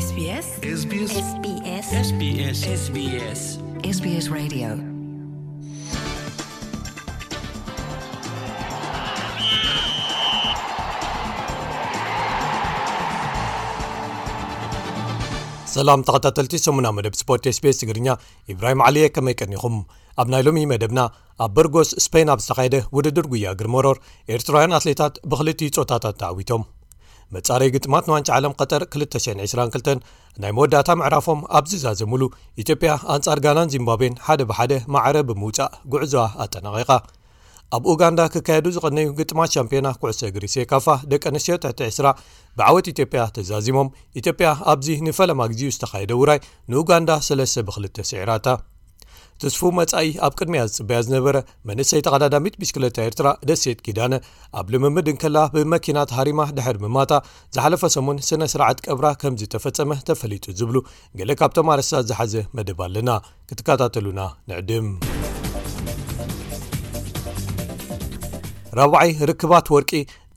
SBS SBS SBS SBS SBS SBS Radio. ሰላም ተኸታተልቲ ሰሙና መደብ ስፖርት SBS ትግርኛ፣ ኢብራሂም ዓሊየ፣ ከመይ ቀኒኹም? ኣብ ናይ ሎሚ መደብና፣ ኣብ በርጎስ ስፔን ኣብ ዝተኻየደ ውድድር ጉያ እግሪ መሮር፣ ኤርትራውያን ኣትሌታት ብኽልቲኡ ጾታታት ተዓዊቶም። መጻረይ ግጥማት ንዋንጫ ዓለም ቀጠር ክልተ ሽሕን ዕስራን ክልተን ናይ መወዳእታ ምዕራፎም ኣብ ዝዛዘሙሉ፣ ኢትዮጵያ ኣንጻር ጋናን ዚምባብዌን ሓደ ብሓደ ማዕረ ብምውጻእ ጉዕዞኣ ኣጠናቒቓ። ኣብ ኡጋንዳ ክካየዱ ዝቐነዩ ግጥማት ሻምፒዮና ኩዕሶ እግሪ ሴካፋ ደቂ ኣንስትዮ ትሕቲ ዕስራ ብዓወት ኢትዮጵያ ተዛዚሞም። ኢትዮጵያ ኣብዚ ንፈለማ ግዜኡ ዝተኻየደ ውራይ ንኡጋንዳ ሰለስተ ብክልተ ስዒራታ። ትስፉ መጻኢ ኣብ ቅድሚያ ዝጽበያ ዝነበረ መንእሰይ ተቐዳዳሚት ብሽክለታ ኤርትራ ደሴት ኪዳነ፣ ኣብ ልምምድ እንከላ ብመኪና ተሃሪማ ድሕሪ ምማታ፣ ዝሓለፈ ሰሙን ስነ ስርዓት ቀብራ ከም ዝተፈጸመ ተፈሊጡ ዝብሉ ገለ ካብቶም ኣርእስታት ዝሓዘ መደብ ኣለና። ክትከታተሉና ንዕድም። ራብዓይ ርክባት ወርቂ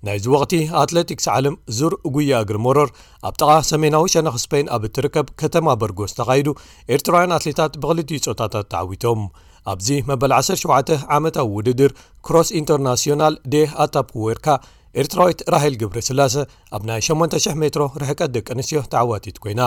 ናይዚ ወቕቲ ኣትሌቲክስ ዓለም ዙር ጉያ እግሪ መሮር ኣብ ጥቓ ሰሜናዊ ሸነኽ ስፔን ኣብ እትርከብ ከተማ በርጎስ ተኻይዱ፣ ኤርትራውያን ኣትሌታት ብኽልቲኡ ጾታታት ተዓዊቶም። ኣብዚ መበል ዓሰርተ ሸውዓተ ዓመታዊ ውድድር ክሮስ ኢንተርናሲዮናል ዴ ኣታፕ ወርካ፣ ኤርትራዊት ራሄል ገብረስላሰ ኣብ ናይ ሸሞንተ ሽሕ ሜትሮ ርሕቀት ደቂ ኣንስትዮ ተዓዋቲት ኮይና።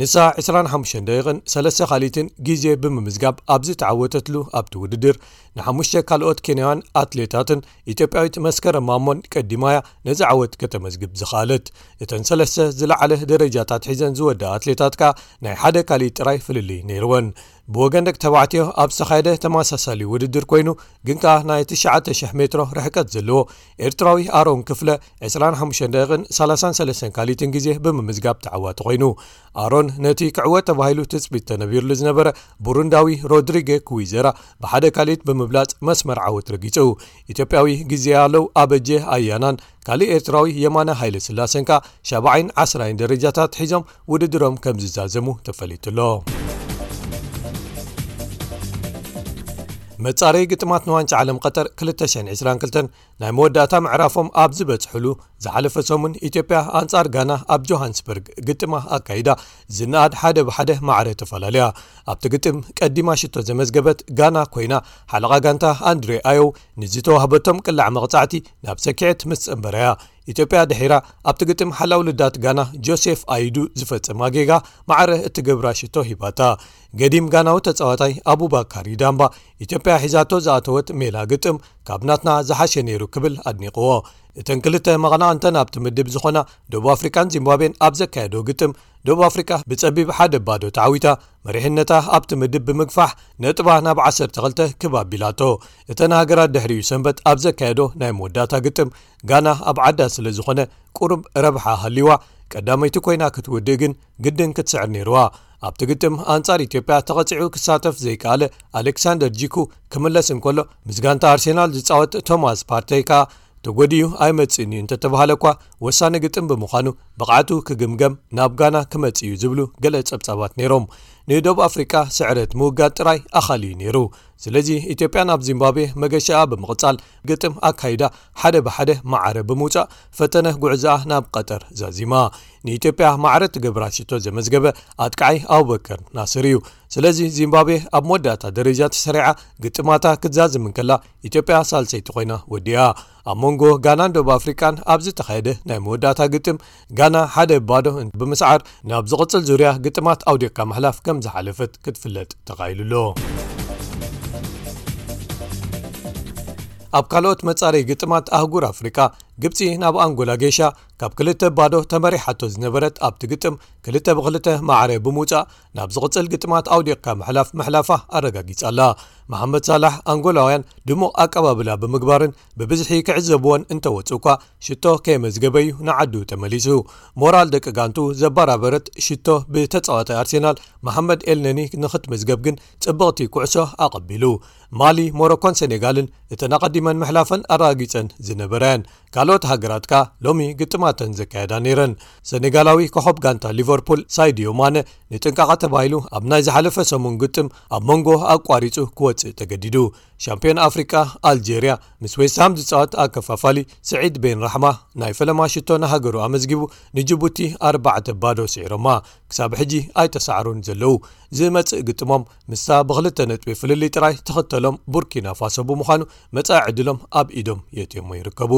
ንሳ ዕስራን ሓሙሽተን ደቂቕን ሰለስተ ካልኢትን ግዜ ብምምዝጋብ ኣብዚ ተዓወተትሉ ኣብቲ ውድድር፣ ንሓሙሽተ ካልኦት ኬንያውያን ኣትሌታትን ኢትዮጵያዊት መስከረም ማሞን ቀዲማያ ነዚ ዓወት ከተመዝግብ ዝኸኣለት። እተን ሰለስተ ዝለዓለ ደረጃታት ሒዘን ዝወዳ ኣትሌታት ከኣ ናይ ሓደ ካልኢት ጥራይ ፍልልይ ነይርወን። ብወገን ደቂ ተባዕትዮ ኣብ ዝተኻየደ ተመሳሳሊ ውድድር ኮይኑ፣ ግን ከኣ ናይ ትሽዓተ ሽሕ ሜትሮ ርሕቀት ዘለዎ ኤርትራዊ ኣሮን ክፍለ ዕስራን ሓሙሽተን ደቂቕን ሰላሳን ሰለስተን ካልኢትን ግዜ ብምምዝጋብ ተዓዋቲ ኮይኑ። ኣሮን ነቲ ክዕወት ተባሂሉ ትጽቢት ተነቢርሉ ዝነበረ ቡሩንዳዊ ሮድሪጌ ኩዊዘራ ብሓደ ካልኢት ብምብላጽ መስመር ዓወት ረጊጹ። ኢትዮጵያዊ ግዜ ያለው ኣበጀ ኣያናን ካልእ ኤርትራዊ የማነ ሃይለ ስላሰን ከኣ ሻብዓይን ዓስራይን ደረጃታት ሒዞም ውድድሮም ከም ዝዛዘሙ ተፈሊጡ ኣሎ። መጻረይ ግጥማት ንዋንጫ ዓለም ቀጠር ክልተ ሽሕን ዕስራን ክልተን ናይ መወዳእታ ምዕራፎም ኣብ ዝበጽሕሉ፣ ዝሓለፈ ሰሙን ኢትዮጵያ ኣንጻር ጋና ኣብ ጆሃንስበርግ ግጥማ ኣካይዳ፣ ዝነኣድ ሓደ ብሓደ ማዕረ ተፈላለያ። ኣብቲ ግጥም ቀዲማ ሽቶ ዘመዝገበት ጋና ኮይና፣ ሓለቓ ጋንታ ኣንድሬ ኣዮው ንዝተዋህበቶም ቅላዕ መቕጻዕቲ ናብ ሰኪዔት ምስ ጸንበረያ፣ ኢትዮጵያ ድሒራ ኣብቲ ግጥም ሓላው ልዳት ጋና ጆሴፍ ኣይዱ ዝፈጸማ ጌጋ ማዕረ እትገብራ ሽቶ ሂባታ። ገዲም ጋናዊ ተጻዋታይ ኣቡባካር ይዳምባ፣ ኢትዮጵያ ሒዛቶ ዝኣተወት ሜላ ግጥም ካብ ናትና ዝሓሸ ነይሩ ክብል ኣድኒቕዎ። እተን ክልተ መቐናቕንተን ኣብቲ ምድብ ዝኾና ደቡብ ኣፍሪቃን ዚምባብዌን ኣብ ዘካየዶ ግጥም፣ ደቡብ ኣፍሪቃ ብጸቢብ ሓደ ባዶ ተዓዊታ፣ መሪሕነታ ኣብቲ ምድብ ብምግፋሕ ነጥባ ናብ ዓሰርተ ክልተ ክብ ኣቢላቶ። እተን ሃገራት ድሕሪኡ ሰንበት ኣብ ዘካየዶ ናይ መወዳእታ ግጥም፣ ጋና ኣብ ዓዳ ስለ ዝኾነ ቁሩብ ረብሓ ሃልይዋ፣ ቀዳመይቲ ኮይና ክትውድእ ግን ግድን ክትስዕር ነይርዋ። ኣብቲ ግጥም ኣንጻር ኢትዮጵያ ተቐጺዑ ክሳተፍ ዘይከኣለ ኣሌክሳንደር ጂኩ ክምለስ እንከሎ፣ ምስ ጋንታ ኣርሴናል ዝጻወት ቶማስ ፓርተይ ከኣ ተጎዲኡ ኣይመጽእን እዩ እንተተባሃለ እኳ፣ ወሳኒ ግጥም ብምዃኑ ብቕዓቱ ክግምገም ናብ ጋና ክመጽእ እዩ ዝብሉ ገለ ጸብጻባት ነይሮም። ንደቡብ ኣፍሪቃ ስዕረት ምውጋድ ጥራይ ኣኻሊ እዩ ነይሩ። ስለዚ ኢትዮጵያ ናብ ዚምባብዌ መገሻኣ ብምቕጻል ግጥም ኣካይዳ ሓደ ብሓደ ማዕረ ብምውጻእ ፈተነ ጉዕዞኣ ናብ ቀጠር ዛዚማ። ንኢትዮጵያ ማዕረ ትገብራ ሽቶ ዘመዝገበ ኣጥቃዓይ ኣቡበከር ናስር እዩ። ስለዚ ዚምባብዌ ኣብ መወዳእታ ደረጃ ተሰሪዓ ግጥማታ ክትዛዝም እንከላ፣ ኢትዮጵያ ሳልሰይቲ ኮይና ወዲኣ። ኣብ መንጎ ጋናን ደቡብ ኣፍሪቃን ኣብ ዝተኻየደ ናይ መወዳእታ ግጥም፣ ጋና ሓደ ባዶ ብምስዓር ናብ ዝቕጽል ዙርያ ግጥማት ኣውዲቕካ ምሕላፍ ከም ዝሓለፈት ክትፍለጥ ተኻኢሉ ኣሎ። ኣብ ካልኦት መጻረይ ግጥማት ኣህጉር ኣፍሪቃ፣ ግብጺ ናብ ኣንጎላ ጌሻ ካብ ክልተ ባዶ ተመሪሓቶ ዝነበረት ኣብቲ ግጥም ክልተ ብክልተ ማዕረ ብምውጻእ ናብ ዝቕጽል ግጥማት ኣውዲቕካ ምሕላፍ ምሕላፋ ኣረጋጊጻ ኣላ። መሓመድ ሳላሕ ኣንጎላውያን ድሙቕ ኣቀባብላ ብምግባርን ብብዝሒ ክዕዘብዎን እንተወጹ እኳ ሽቶ ከየመዝገበ እዩ ንዓዱ ተመሊሱ። ሞራል ደቂ ጋንቱ ዘባራበረት ሽቶ ብተጻዋታይ ኣርሴናል መሓመድ ኤልነኒ ንኽትምዝገብ ግን ጽብቕቲ ኩዕሶ ኣቐቢሉ። ማሊ፣ ሞሮኮን ሴኔጋልን እተን ኣቐዲመን ምሕላፈን ኣረጋጊጸን ዝነበራ እየን። ካልኦት ሃገራት ከኣ ሎሚ ግጥማተን ዘካየዳ ነይረን። ሰኔጋላዊ ኮኸብ ጋንታ ሊቨርፑል ሳይድዮ ማነ ንጥንቃቐ ተባሂሉ ኣብ ናይ ዝሓለፈ ሰሙን ግጥም ኣብ መንጎ ኣቋሪጹ ክወጽእ ተገዲዱ። ሻምፒዮን ኣፍሪቃ ኣልጄርያ ምስ ዌስትሃም ዝጻወት ኣከፋፋሊ ስዒድ ቤን ራሕማ ናይ ፈለማ ሽቶ ንሃገሩ ኣመዝጊቡ፣ ንጅቡቲ ኣርባዕተ ባዶ ስዒሮማ። ክሳብ ሕጂ ኣይተሳዕሩን ዘለዉ። ዝመጽእ ግጥሞም ምስታ ብክልተ ነጥቢ ፍልልይ ጥራይ ትኽተሎም ቡርኪና ፋሶ ብምዃኑ፣ መጻኢ ዕድሎም ኣብ ኢዶም የትዮሞ ይርከቡ።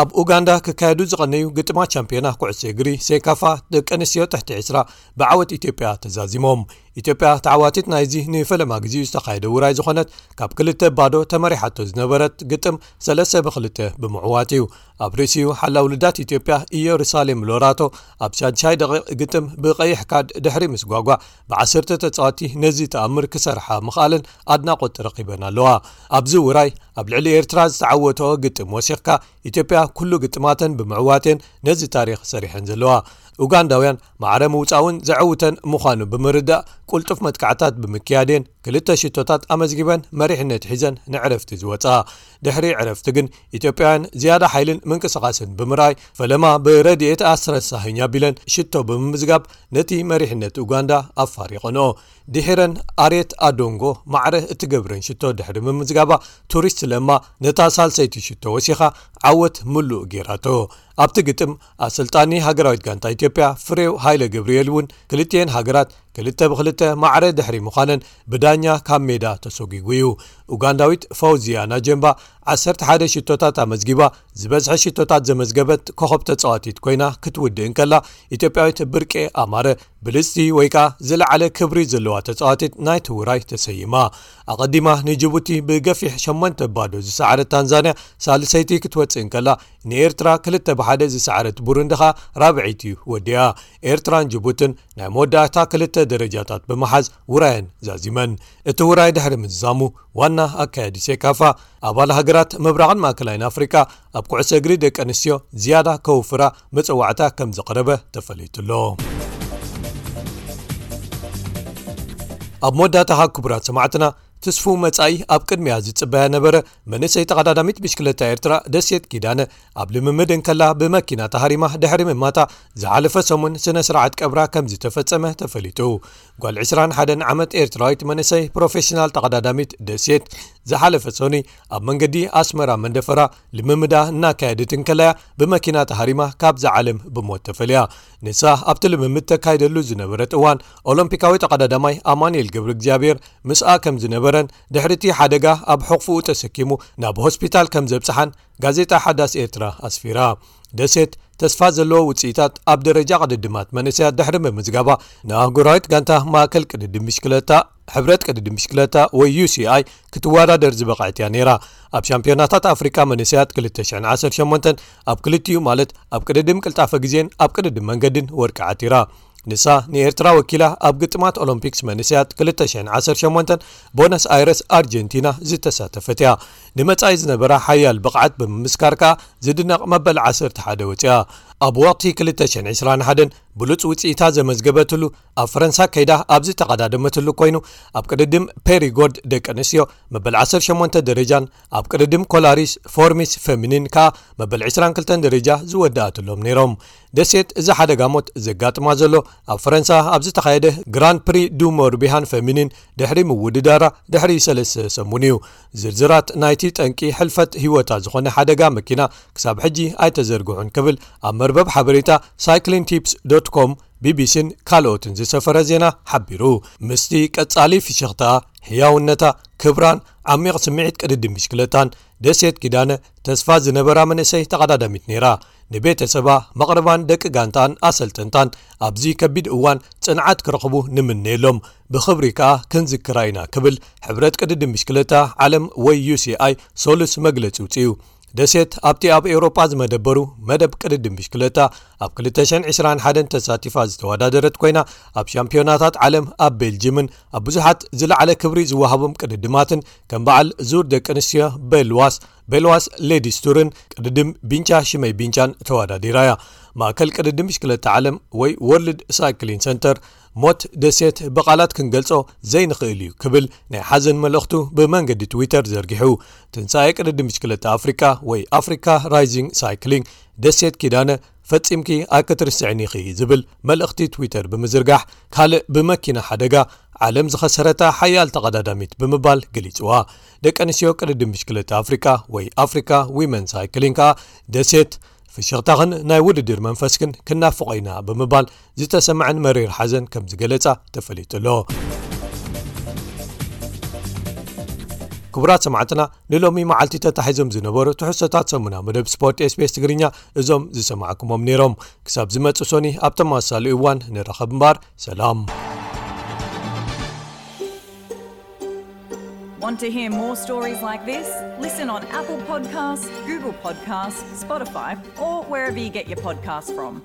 ኣብ ኡጋንዳ ክካየዱ ዝቐነዩ ግጥማት ቻምፒዮና ኩዕሶ እግሪ ሴካፋ ደቂ ኣንስትዮ ትሕቲ ዕስራ ብዓወት ኢትዮጵያ ተዛዚሞም። ኢትዮጵያ ተዓዋቲት ናይዚ ንፈለማ ግዜኡ ዝተኻየደ ውራይ ዝኾነት፣ ካብ ክልተ ባዶ ተመሪሓቶ ዝነበረት ግጥም ሰለስተ ብክልተ ብምዕዋት እዩ። ኣብ ርእሲኡ ሓላው ልዳት ኢትዮጵያ ኢየሩሳሌም ሎራቶ ኣብ ሻድሻይ ደቂቕ ግጥም ብቐይሕ ካድ ድሕሪ ምስጓጓ ብዓሰርተ ተጻወቲ ነዚ ተኣምር ክሰርሓ ምኽኣለን ኣድናቖት ረኺበን ኣለዋ። ኣብዚ ውራይ ኣብ ልዕሊ ኤርትራ ዝተዓወተኦ ግጥም ወሲኽካ ኢትዮጵያ ኩሉ ግጥማተን ብምዕዋቴን ነዚ ታሪኽ ሰሪሐን ዘለዋ። ኡጋንዳውያን ማዕረ ምውጻውን ዘዕውተን ምዃኑ ብምርዳእ ቁልጡፍ መጥቃዕታት ብምክያዴን ክልተ ሽቶታት ኣመዝጊበን መሪሕነት ሒዘን ንዕረፍቲ ዝወጻ። ድሕሪ ዕረፍቲ ግን ኢትዮጵያውያን ዝያዳ ሓይልን ምንቅስቓስን ብምርኣይ ፈለማ ብረድኤት ኣስረሳህኝ ኣቢለን ሽቶ ብምምዝጋብ ነቲ መሪሕነት ኡጋንዳ ኣፋሪቐንኦ። ድሒረን ኣሬት ኣዶንጎ ማዕረ እትገብረን ሽቶ ድሕሪ ምምዝጋባ ቱሪስት ለማ ነታ ሳልሰይቲ ሽቶ ወሲኻ ዓወት ምሉእ ጌራቶ። ኣብቲ ግጥም ኣሰልጣኒ ሃገራዊት ጋንታ ኢትዮጵያ ፍሬው ሃይለ ገብርኤል እውን ክልቲኤን ሃገራት ክልተ ብክልተ ማዕረ ድሕሪ ምዃነን ብዳኛ ካብ ሜዳ ተሰጒጉ እዩ። ኡጋንዳዊት ፈውዚያ ናጀምባ ዓሰርተ ሓደ ሽቶታት ኣመዝጊባ ዝበዝሐ ሽቶታት ዘመዝገበት ኮኸብ ተጻዋቲት ኮይና ክትውድእ እንከላ፣ ኢትዮጵያዊት ብርቄ ኣማረ ብልጽቲ ወይ ከኣ ዝለዓለ ክብሪ ዘለዋ ተጻዋቲት ናይቲ ውራይ ተሰይማ። ኣቐዲማ ንጅቡቲ ብገፊሕ ሸሞንተ ባዶ ዝሰዓረት ታንዛንያ ሳልሰይቲ ክትወጽእ እንከላ፣ ንኤርትራ ክልተ ብሓደ ዝሰዓረት ቡሩንዲ ኸኣ ራብዐይቲ ወዲኣ። ኤርትራን ጅቡትን ናይ መወዳእታ ክልተ ደረጃታት ብምሓዝ ውራየን ዛዚመን። እቲ ውራይ ድሕሪ ምዝዛሙ ዋና ኣካያዲ ሴካፋ ኣባል ሃገራት ምብራቕን ማእከላይን ኣፍሪቃ ኣብ ኩዕሶ እግሪ ደቂ ኣንስትዮ ዝያዳ ከውፍራ መጸዋዕታ ከም ዘቕረበ ተፈሊጡ ኣሎ። ኣብ መወዳእታ ክቡራት ሰማዕትና ትስፉ መጻኢ ኣብ ቅድሚያ ዝጽበያ ነበረ። መንእሰይ ተቐዳዳሚት ብሽክለታ ኤርትራ ደሴት ኪዳነ ኣብ ልምምድ እንከላ ብመኪና ተሃሪማ ድሕሪ ምማታ ዝሓለፈ ሰሙን ስነ ስርዓት ቀብራ ከም ዝተፈጸመ ተፈሊጡ። ጓል ዕስራን ሓደን ዓመት ኤርትራዊት መንእሰይ ፕሮፌሽናል ተቐዳዳሚት ደሴት ዝሓለፈ ሰኑይ ኣብ መንገዲ ኣስመራ መንደፈራ ልምምዳ እናካየደት እንከላያ ብመኪና ተሃሪማ ካብዛ ዓለም ብሞት ተፈልያ። ንሳ ኣብቲ ልምምድ ተካይደሉ ዝነበረት እዋን ኦሎምፒካዊ ተቐዳዳማይ ኣማኑኤል ገብረ እግዚኣብሔር ምስኣ ከም ዝነበረን ድሕሪ እቲ ሓደጋ ኣብ ሕቑፍኡ ተሰኪሙ ናብ ሆስፒታል ከም ዘብጽሓን ጋዜጣ ሓዳስ ኤርትራ ኣስፊራ። ደሴት ተስፋ ዘለዎ ውጽኢታት ኣብ ደረጃ ቅድድማት መንእሰያት ድሕሪ ምምዝጋባ ንኣህጉራዊት ጋንታ ማእከል ቅድድም ብሽክለታ ሕብረት ቅድድም ብሽክለታ ወይ ዩ ሲ ኣይ ክትወዳደር ዝበቕዐት እያ ነይራ። ኣብ ሻምፒዮናታት ኣፍሪቃ መንእሰያት ክልተ ሽሕን ዓሰርተ ሸሞንተን ኣብ ክልቲኡ ማለት ኣብ ቅድድም ቅልጣፈ ግዜን ኣብ ቅድድም መንገድን ወርቂ ዓቲራ። ንሳ ንኤርትራ ወኪላ ኣብ ግጥማት ኦሎምፒክስ መንእሰያት ክልተ ሽሕን ዓሰርተ ሸሞንተን ቦነስ ኣይረስ ኣርጀንቲና ዝተሳተፈት እያ። ንመጻኢ ዝነበራ ሓያል ብቕዓት ብምምስካር ከኣ ዝድነቕ መበል ዓሰርተ ሓደ ወጺኣ። ኣብ ወቕቲ ክልተ ሽሕን ዕስራን ሓደን ብሉጽ ውጽኢታ ዘመዝገበትሉ ኣብ ፈረንሳ ከይዳ ኣብ ዝተቐዳደመትሉ ኮይኑ ኣብ ቅድድም ፔሪጎርድ ደቂ ኣንስትዮ መበል ዓሰርተ ሸሞንተ ደረጃን ኣብ ቅድድም ኮላሪስ ፎርሚስ ፌሚኒን ከኣ መበል ዕስራን ክልተን ደረጃ ዝወደኣትሎም ነይሮም። ደሴት እዚ ሓደጋ ሞት ዘጋጥማ ዘሎ ኣብ ፈረንሳ ኣብ ዝተኻየደ ግራን ፕሪ ዱ ሞርቢሃን ፌሚኒን ድሕሪ ምውድዳራ ድሕሪ ሰለስተ ሰሙን እዩ። ዝርዝራት ናይቲ ጠንቂ ሕልፈት ህይወታ ዝኾነ ሓደጋ መኪና ክሳብ ሕጂ ኣይተዘርግሑን ክብል ኣብ መርበብ ሓበሬታ ሳይክሊን ቲፕስ ዶት ኮም ቢቢሲን ካልኦትን ዝሰፈረ ዜና ሓቢሩ። ምስቲ ቀጻሊ ፍሽኽታ፣ ሕያውነታ፣ ክብራን ዓሚቕ ስምዒት ቅድድም ብሽክለታን ደሴት ኪዳነ ተስፋ ዝነበራ መንእሰይ ተቐዳዳሚት ነይራ። ንቤተሰባ፣ መቕርባን ደቂ ጋንታን ኣሰልጠንታን ኣብዚ ከቢድ እዋን ጽንዓት ክረኽቡ ንምነየሎም፣ ብኽብሪ ከኣ ክንዝክራ ኢና ክብል ሕብረት ቅድድም ብሽክለታ ዓለም ወይ ዩ ሲ ኣይ ሶሉስ መግለጺ ውጽኡ። ደሴት ኣብቲ ኣብ ኤውሮጳ ዝመደበሩ መደብ ቅድድም ብሽክለታ ኣብ ክልተ ሽሕን ዕስራን ሓደን ተሳቲፋ ዝተወዳደረት ኮይና ኣብ ሻምፒዮናታት ዓለም ኣብ ቤልጅምን ኣብ ብዙሓት ዝለዓለ ክብሪ ዝወሃቦም ቅድድማትን ከም በዓል ዙር ደቂ ኣንስትዮ ቤልዋስ፣ ቤልዋስ ሌዲስ ቱርን ቅድድም ቢንቻ ሽመይ ቢንቻን ተወዳዲራ እያ። ማእከል ቅድድም ብሽክለታ ዓለም ወይ ወርልድ ሳይክሊን ሰንተር ሞት ደሴት ብቓላት ክንገልጾ ዘይንኽእል እዩ ክብል ናይ ሓዘን መልእኽቱ ብመንገዲ ትዊተር ዘርጊሑ። ትንሳኤ ቅድድም ብሽክለታ ኣፍሪቃ ወይ ኣፍሪካ ራይዚንግ ሳይክሊንግ ደሴት ኪዳነ ፈጺምኪ ኣይክትርስዕን ኢኺ ዝብል መልእኽቲ ትዊተር ብምዝርጋሕ ካልእ ብመኪና ሓደጋ ዓለም ዝኸሰረታ ሓያል ተቐዳዳሚት ብምባል ገሊጽዋ። ደቂ ኣንስትዮ ቅድድም ብሽክለታ ኣፍሪቃ ወይ ኣፍሪካ ዊመን ሳይክሊንግ ከኣ ደሴት ፍሽኽታኽን ናይ ውድድር መንፈስክን ክናፍቖ ኢና ብምባል ዝተሰምዐን መሪር ሓዘን ከም ዝገለጻ ተፈሊጡ ኣሎ። ክቡራት ሰማዕትና ንሎሚ መዓልቲ ተታሒዞም ዝነበሩ ትሕዝቶታት ሰሙና መደብ ስፖርት ኤስቢኤስ ትግርኛ እዞም ዝሰማዕኩሞም ነይሮም። ክሳብ ዝመጽእ ሶኒ ኣብ ተመሳሳሊ እዋን ንራኸብ እምበር ሰላም። Want to hear more stories like this? Listen on Apple Podcasts, Google Podcasts, Spotify, or wherever you get your podcasts from.